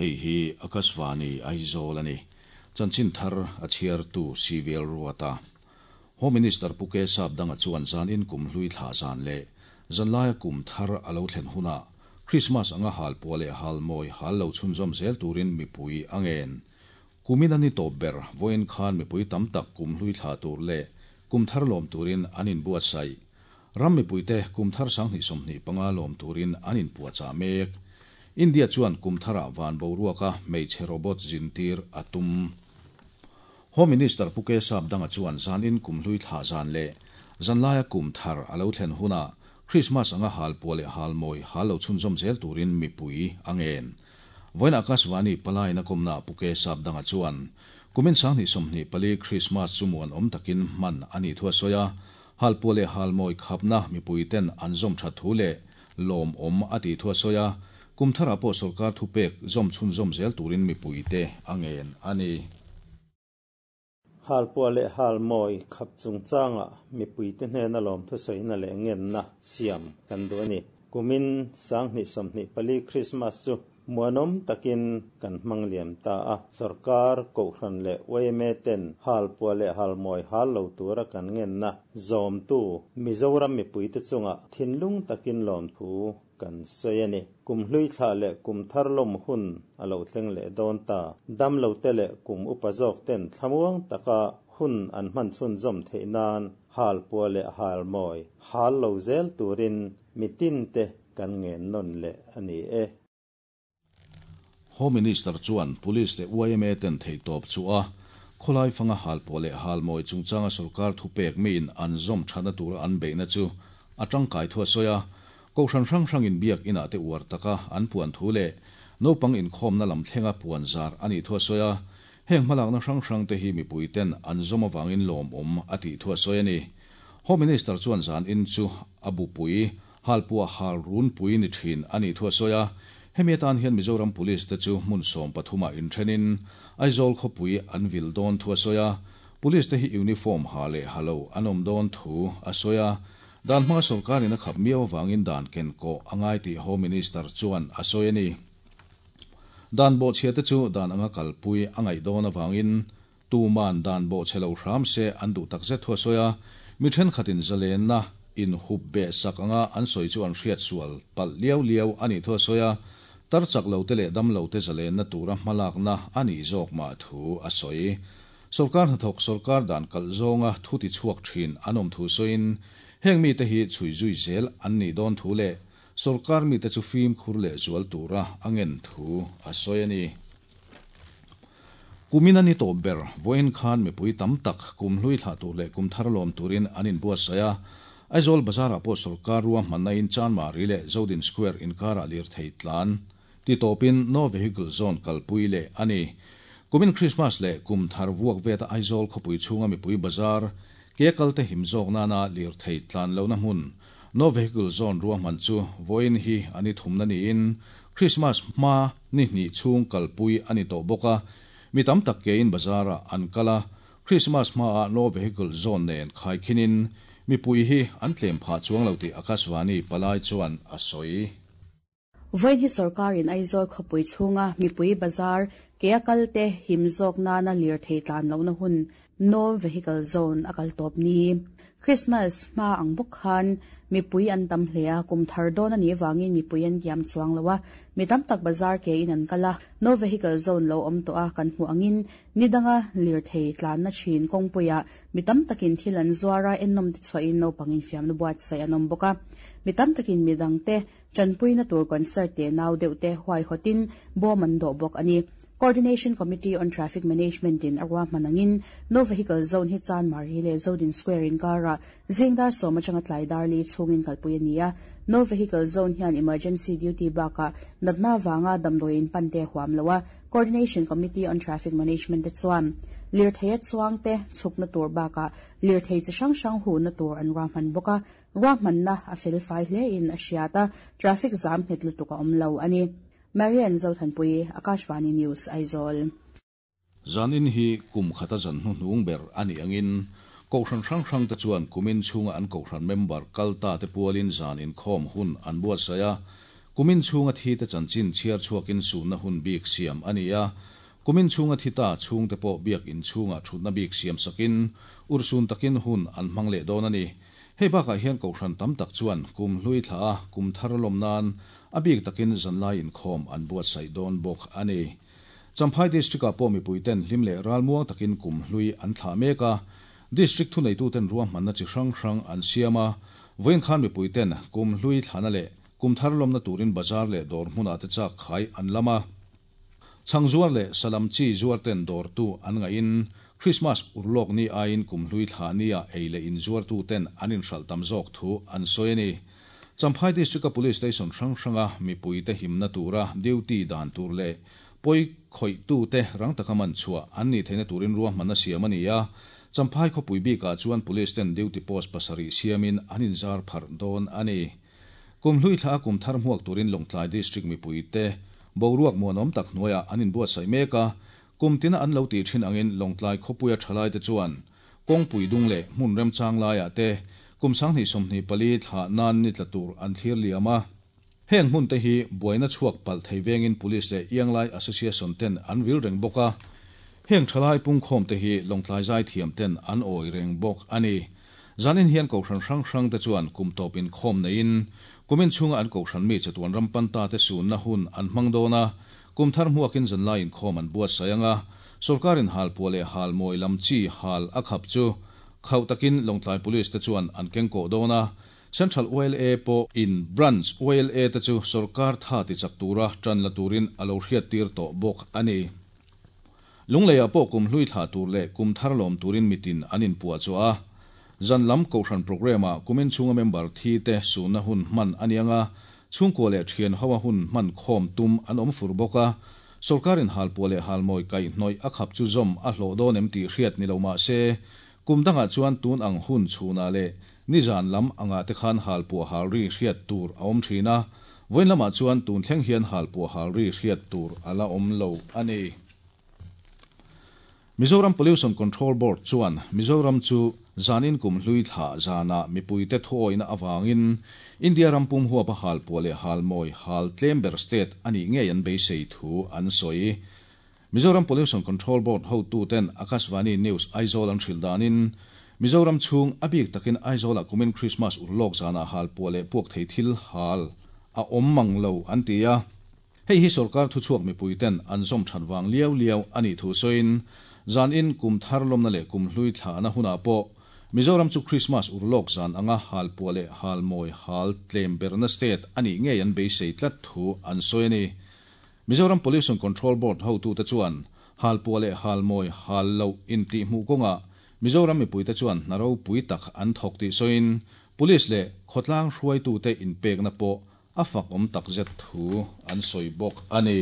Hei hi Akashvani Aizawl a ni. Chanchin thar a chhiartu CVL Ruata. Home Minister Pu K Sapdanga chuan zanin kum hlui thla zan leh zanlaia kum thar a lo thlen hunah Krismas anga hal puah leh hal mawi hal lo chhunzawm zel turin mipui a ngen. Kumin a ni tawp ber, vawiin khan mipui tam tak kum hlui thla tur leh kum thar lawm turin an inbuatsaih. Ram mipuite kum thar 2025 lawm turin an inpuahchah mek. India chuan kum tharah van boruaka hmeichhe robot zintir a tum. Home Minister Pu K Sapdanga chuan zanin kum hlui thlah zan leh zanlaia kum thar a lo thlen hunah Krismas anga hal puah leh hal mawi hal lo chhunzawm zel turin mipui a ngen. Vawiin Akashvani palaiin a kawmnaah Pu K Sapdanga chuan kumin 2024 Krismas chu muanawm takin hman a nih thu a sawi a, Halpuah leh halmawi khapna mipuiten an zawm that thu leh lawmawm a tih thu a sawi a, kum tharah pawh sorkar thupek zawm chhunzawm zel turin mipuite a ngen a ni. Halpuah leh halmawi khap chungchangah mipuite hnena lawmthu sawina leh ngenna siam kan duh a ni. Kumin 2024 Krismas chu Muanawm takin kan hmang liam ta a, sorkar, kohhran leh yma ten hal puah leh hal mawi hal lo tura kan ngenna zawmtu Mizoram mipuite chungah thinlung takin lawmthu kan sawi a ni. Kum hlui thlah leh kum thar lawm hun a lo thleng leh dawn ta. Damlote leh kum upa zawk ten thlamuang taka hun an hman chhunzawm theih nan hal puah leh hal mawi hal lo zel turin mitinte Kan ngen nawn leh a ni e. Home Minister chuan Police leh yma ten theihtawp chu a khawlai fanga halpuah leh halmawi chungchanga sorkar thupek miin an zawm thatna tura an beihna chu a tangkai thu a sawi a. Kohhran hrang hrangin biak inah te uar taka an puan thu leh naupang inkhawmna lam thlenga puan zar a nih thu a sawi a. Heng hmalakna hrang hrang te hi mipui ten an zawm avangin lawmawm a tih thu a sawi a ni. Home Minister chuan zan in chu a bupui Halpuah hal runpui ni thin a nih thu a sawi a, hemi atan hian Mizoram Police te chu hmun 13 ah inthenin Aizawl khawpui an vil dawn thu a sawi a, Police te hi uniform ha leh ha lo an awm dawn thu a sawi a, dan hmanga sawrkarin a khap miau avangin dan kenkawh a ngai tih Home Minister chuan a sawi a ni. Dan bawhchhia te chu dan anga kalpui a ngaih dawn avangin Tuman dan bawhchhe lo hram se an duh takzet thu a sawi a, mi thenkhatin zalenna inhup beh sak anga an sawi chu an hriat sual palh liau liau a nih thu a sawi a, tar chak lo te leh dam lo te zalenna tura hmalakna a nih zawk mah thu a sawi. Sorkar hnathawk sorkar dan kalh zawnga thu ti chhuak thin an awm thu sawiin, heng mite hi chhui zui zel an nih dawn thu leh sorkar mite chu fimkhur leh zual tura a ngen thu a sawi a ni. Kumin a ni tawp ber, vawiin khan mipui tam tak kum hlui thlah tur leh kum thar lawm turin an inbuatsaih a. Aizawl Bazar-ah pawh sorkar ruahmanna in Chanmari leh Zodin Square inkarah lirthei tlan ti tawpin No Vehicle Zone kalpui leh a ni. Kumin Krismas leh kum thar vuak veta Aizawl khawpui chhunga mipui bazar ke kalte him zawk nana lirthei tlan lohna hmun No Vehicle Zone ruahman chu vawiin hi a ni thumna niin Krismas hma ni hnih chhung kalpui a ni tawh bawk a, mi tam tak kein bazar-ah an kal a, Krismas hmaah No Vehicle Zone nen khaikhinin mipui hi an tlem phah chuang lo tih Akashvani palai chuan a sawi. Vawiin hi sorkarin Aizawl khawpui chhunga mipui bazar kea kalte him zawk nana lirthei tlan lohna hun No Vehicle Zone a kal tawp ni. Christmas hma ang bawk khan mipui an tam hle a, kum thar dawn a nih vangin mipui an kiam chuang lo a, mi tam tak bazar ke in an kal a, No Vehicle Zone lo awm tawh a kan hmuh angin ni danga lirthei tlanna thin kawngpuiah mi tam takin thil an zuar a, ennawm te chhuahin naupang infiamna buatsaih an awm bawk a, mi tam takin midangte Tanpuina tur concert te nau deuh te huaihawtin bawm an dawh bawk a ni. Coordination Committee on Traffic Management in a ruahman angin No Vehicle Zone hi Chanmari leh Zodin Square inkarah zing dar sawm atanga tlai dar li chhungin kalpui a ni a. No Vehicle Zone hian emergency duty bakah natna avanga damdawi in pan te a huam lo a. Coordination Committee on Traffic Management te chuan lirtheia chuangte chhukna tur bakah lirthei chi hrang hrang huhna tur an ruahman bawk a. Ruahmanna a fel fai hle in a hriat a, traffic zam nghet lutuk a awm lo a ni. Marian Zothanpui, Akashvani News, Aizawl. Zanin hi kum khata zan hnuhnung ber a nih angin Kohhran hrang hrang te chuan kumin chhunga an Kohhran member kal ta te pualin zan inkhawm hun an buatsaih a. Kumin chhunga thi te chanchin chhiar chhuakin sunna hun bik siam a ni a. Kumin chhunga thi ta chhungte pawh biak in chhungah thutna bik siam sakin urhsun takin hun an hmang leh dawn a ni. Hei bakah hian kohhran tam tak chuan kumhlui thlah a, kumthar lawm nan a bik takin zanlai inkhawm an buatsaih dawn bawk a ni. Champhai District-ah pawh mipuiten hlim leh ralmuang takin kumhlui an thlah mek a. District thuneituten ruahmanna chi hrang hrang an siam a, vawiin khan mipuiten kumhlui thlahna leh kumthar lawmna turin bazar leh dawr hmunah te chak khai an lam a. Chhang zuar leh salam chi zuarten dawrtu an ngaihin Krismas urlawk ni aiin kumhlui thlah nia ei leh in zuartuten an inhralh tam zawk thu an sawi a ni. Champhai District-a Police Station hrang hranga mipuite himna tura duty dan tur leh pawi khawihtute rang taka man chhuah an nih theihna turin ruahmanna siam a ni a. Champhai khawpui bikah chuan Police ten duty post pasarih siamin an inzar pharh dawn a ni. Kum hlui thla a kum thar hmuak turin Lawngtlai District mipuite boruak muanawm tak hnuaiah an inbuatsaih mek a, kum tina an lo tih thin angin Lawngtlai khawpuia thalaite chuan kawngpui dung leh hmun remchang laiah te kum 2024 thla nan ni tla tur an thlir liam a. Heng hmun te hi buaina chhuak palh thei vengin Police leh Ianglai Association ten an vil reng bawk a. Heng thalai pungkhawm te hi Lawngtlai zaithiam ten an awi reng bawk a ni. Zanin hian kohhran hrang hrang te chuan kum tawp inkhawm neiin kumin chhunga an kohhran mi chatuan ram panta te sunna hun an hmang dawn a, kum thar hmuakin zanlai inkhawm an buatsaih ang a, sorkarin halpuah leh halmawi lam chi hal a khap chu khauh takin Lawngtlai Police te chuan an kengkawh dawn a, Central YLA pawh in Branch YLA te chu sorkar tha tichak tura tan la turin a lo hriattir tawh bawk a ni. Lungleiah pawh kum hlui thlah tur leh kum thar lawm turin mitin an inpuah chhuah a. Zan lam kohhran programme-ah kumin chhunga member thi te sunna hun hman a ni ang a, chhungkua leh thian hoa hun hman khawm tum an awm fur bawk a. Sorkarin halpuah leh halmawi kaihhnawih a khap chu zawm a hlawh dawn em tih hriat ni lo mah se, kum dangah chuan tun ang hun chhunah leh nizan lam angah te khan halpuah halri hriat tur a awm thin a, vawiin lamah chuan tun thleng hian halpuah halri hriat tur a la awm lo a ni. Mizoram Pollution Control Board chuan Mizoram chu zanin kum hlui thla zanah mipuite thuawihna avangin India ram pum huapa halpuah leh halmawi hal tlem ber state a nih ngei an beisei thu an sawi. Mizoram Pollution Control Board hotuten Akashvani News Aizawl an hrilh danin Mizoram chhung a bik takin Aizawlah kumin Krismas urlawk zanah halpuah leh puak thei thil hal a awm mang lo an ti a. Hei hi sorkar thuchhuak mipuiten an zawm that vang liau liau a nih thu sawiin, zanin kum thar lawmna leh kum hlui thlahna hunah pawh Mizoram chu Krismas urlawk zan anga halpuah leh halmawi hal tlem berna state a nih ngei an beisei tlat thu an sawi a ni. Mizoram Pollution Control Board hotute chuan halpuah leh halmawi hal loh intihhmuh kawngah Mizoram mipuite chuan hna ropui tak an thawk tih sawiin, Police leh khawtlang hruaitute inpekna pawh a fak awm takzet thu an sawi bawk a ni.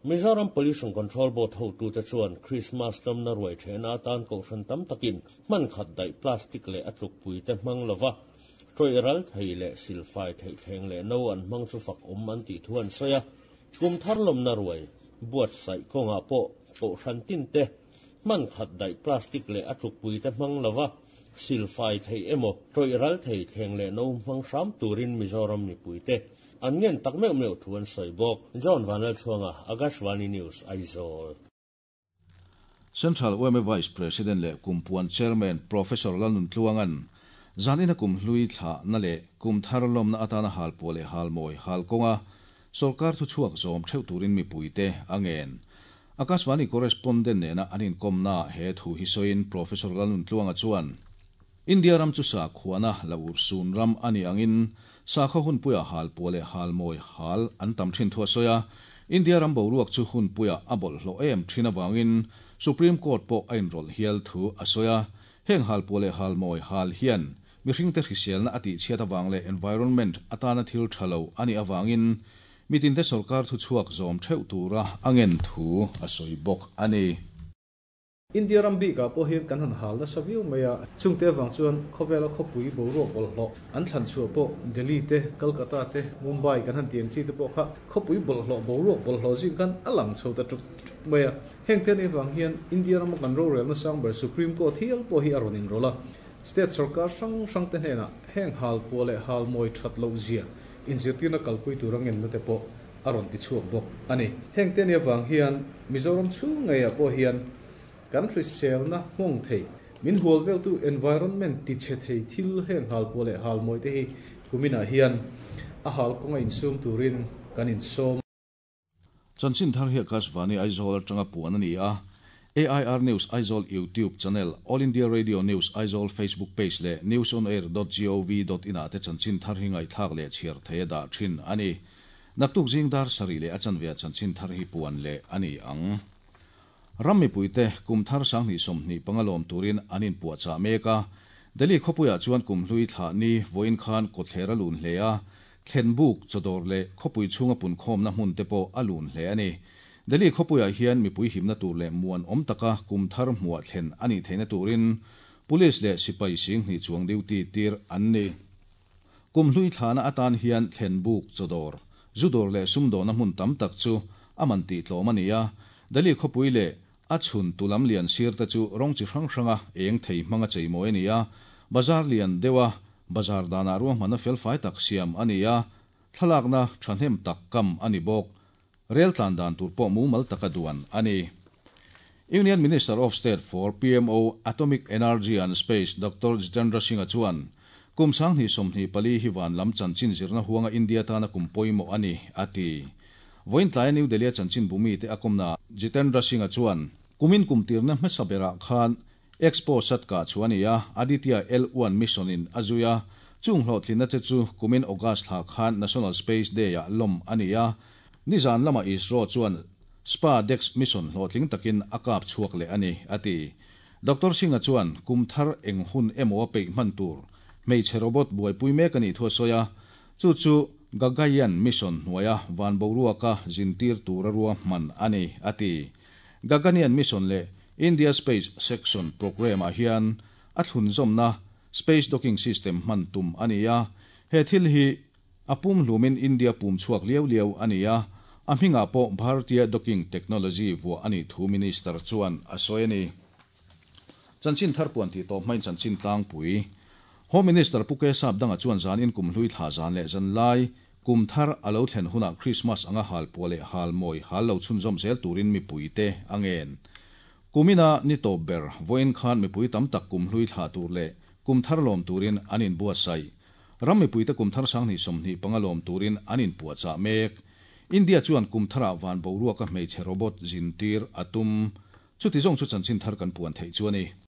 Mizoram Pollution Control Board hotute chuan Krismas tlawmna ruai thehna atan kohhran tam takin hman khat daih plastic leh a tlukpuite hmang lova tawih ral thei leh silfai theih thleng leh no an hmang chu fak awm an tih thu an sawi a. Kum thar lawmna ruai buatsaih kawngah pawh kohhran tinte hman khat daih plastic leh a tlukpuite hmang lova silfai theih emaw tawih ral thei thleng leh no hmang hram turin Mizoram mipuite an ngen tak meuh meuh thu an sawi bawk. John Vanlalchhuanga, Akashvani News, Aizawl. Central yma Vice President leh Kumpuan Chairman Professor Lalnuntluanga'n zanina kum hlui thlahna leh kum thar lawmna atana halpuah leh halmawi hal kawnga sorkar thuchhuak zawm theuh turin mipuite a ngen. Akashvani correspondent nena an inkawmnaah he thu hi sawiin Professor Lalnuntluanga chuan, India ram chu sakhuana la urhsun ram a nih angin sakhaw hunpuia halpuah leh halmawi hal an tam thin thu a sawi a. India ram boruak chu hunpuia a bawlhhlawh em thin avangin Supreme Court pawh a inrawlh hial thu a sawi a. Heng halpuah leh halmawi hal hian mihringte hriselna a tihchhiat avang leh environment atana thil tha lo a nih avangin Mitinte sorkar thuchhuak zawm theuh tura a ngen thu a sawi bawk a ni. India ram bikah pawh hian kan han hal nasa viau mai a, chungte avang chuan khawvela khawpui boruak bawlhhlawh an thlan chhuah pawh Delhi te, Kolkata te, Mumbai kan han ti ang chi te pawh kha khawpui bawlhhlawh boruak bawlhhlawh zing khan a lang chho ta ṭuk ṭuk mai a. Heng te anih avang hian India rama kan rorelna sang ber Supreme Court hial pawh hi a rawn inrawlh a, state sorkar hrang hrang te hnenah heng halpuah leh halmawi ṭhat loh zia. inzirtirna kalpui tura ngenna te pawh a rawn tichhuak bawk a ni. Heng te nih avang hian Mizoram chhung ngeiah pawh hian kan hriselna nghawng thei, min hual veltu environment tichhe thei thil heng halpuah leh halmawi te hi kuminah hian a hal kawnga insum turin kan insawm. Chanchin thar hi Akashvani Aizawl atanga puan a ni a, AIR News Aizawl YouTube channel, All India Radio News Aizawl Facebook page leh newsonair.gov.in ah te chanchin thar hi ngaihthlak leh chhiar thei a dah thin a ni. Naktuk zing dar sarih leh a chanve ah chanchin thar hi puan leh a ni ang. Ram mipuite kum thar 2025 lawm turin an inpuahchah mek a, Delhi khawpuiah chuan kum hlui thlah ni vawiin khan kawtthler a lun hle a, thlen buk, chawdawr leh khawpui chhunga punkhawmna hmun te pawh a lun hle a ni. Delhi khawpuiah hian mipui himna tur leh muan awm taka kum thar hmuah thlen a nih theihna turin Police leh sipai 20,000 chuang duty tir an ni. Kum hlui thlahna atan hian thlen buk, chawdawr, zu dawr leh sumdawna hmun tam tak chu a man tih tlawm a ni a. Delhi khawpui leh a chhun tu lam lian sir te chu rawng chi hrang hranga eng thei hmanga cheimawi a ni a. Bazar lian deuha bazar danah ruahmanna felfai tak siam a ni a, thlalakna thahnem tak kam a ni bawk. Rel tlan dan tur pawh mumal taka duan a ni. Union Minister of State for PMO, Atomic Energy and Space Doctor Jitendra Singh-a chuan, Kum 2024 hi van lam chanchin zirna huanga India tana kum pawimawh a ni, a ti. Vawiin tlaia New Delhi-a chanchin bumite a kawmna Jitendra Singh-a chuan, Kumin kum tirna hmasa berah khan Expo sat kah chu a ni a, Aditya L-one mission-in a zui a, chung hlawhtlinna te chu kumin August thla khan National Space Day-ah lawm a ni a, nizan lamah ISRO chuan SpaDex mission hlawhtling takin a kap chhuak leh a ni, a ti. Doctor Singh-a chuan kum thar eng hun emaw a peih hman tur hmeichhe robot buaipui mek a nih thu a sawi a, chu chu Gaganyaan mission hnuaia van boruaka zintir tura ruahman a ni, a ti. Gaganyaan mission leh India Space Section Programme-ah hian a thlunzawmna Space Docking System hman tum a ni a, he thil hi a pumhlumin India pum chhuak liau liau a ni a, a hmingah pawh Bharatiya Docking Technology vuah a nih thu Minister chuan a sawi a ni. Chanchin thar puan tih tawh hmain chanchin tlangpui Home Minister Pu Kesap danga chuan zanin kum hlui thla zan leh zan lai kum thar a lo thlen hunah Krismas anga hal puah leh hal mawi hal lo chhunzawm zel turin mipuite a ngen. Kumina ni tawp ber vawiin khan mipui tam tak kum hlui thlah tur leh kum thar lawm turin an inbuatsaih. Ram mipuite kum thar 2025 lawm turin an inpuahchah mek. India chuan kum tharah van boruaka hmeichhe robot zintir a tum. Chuti zawng chu chanchin thar kan puan theih chu a ni.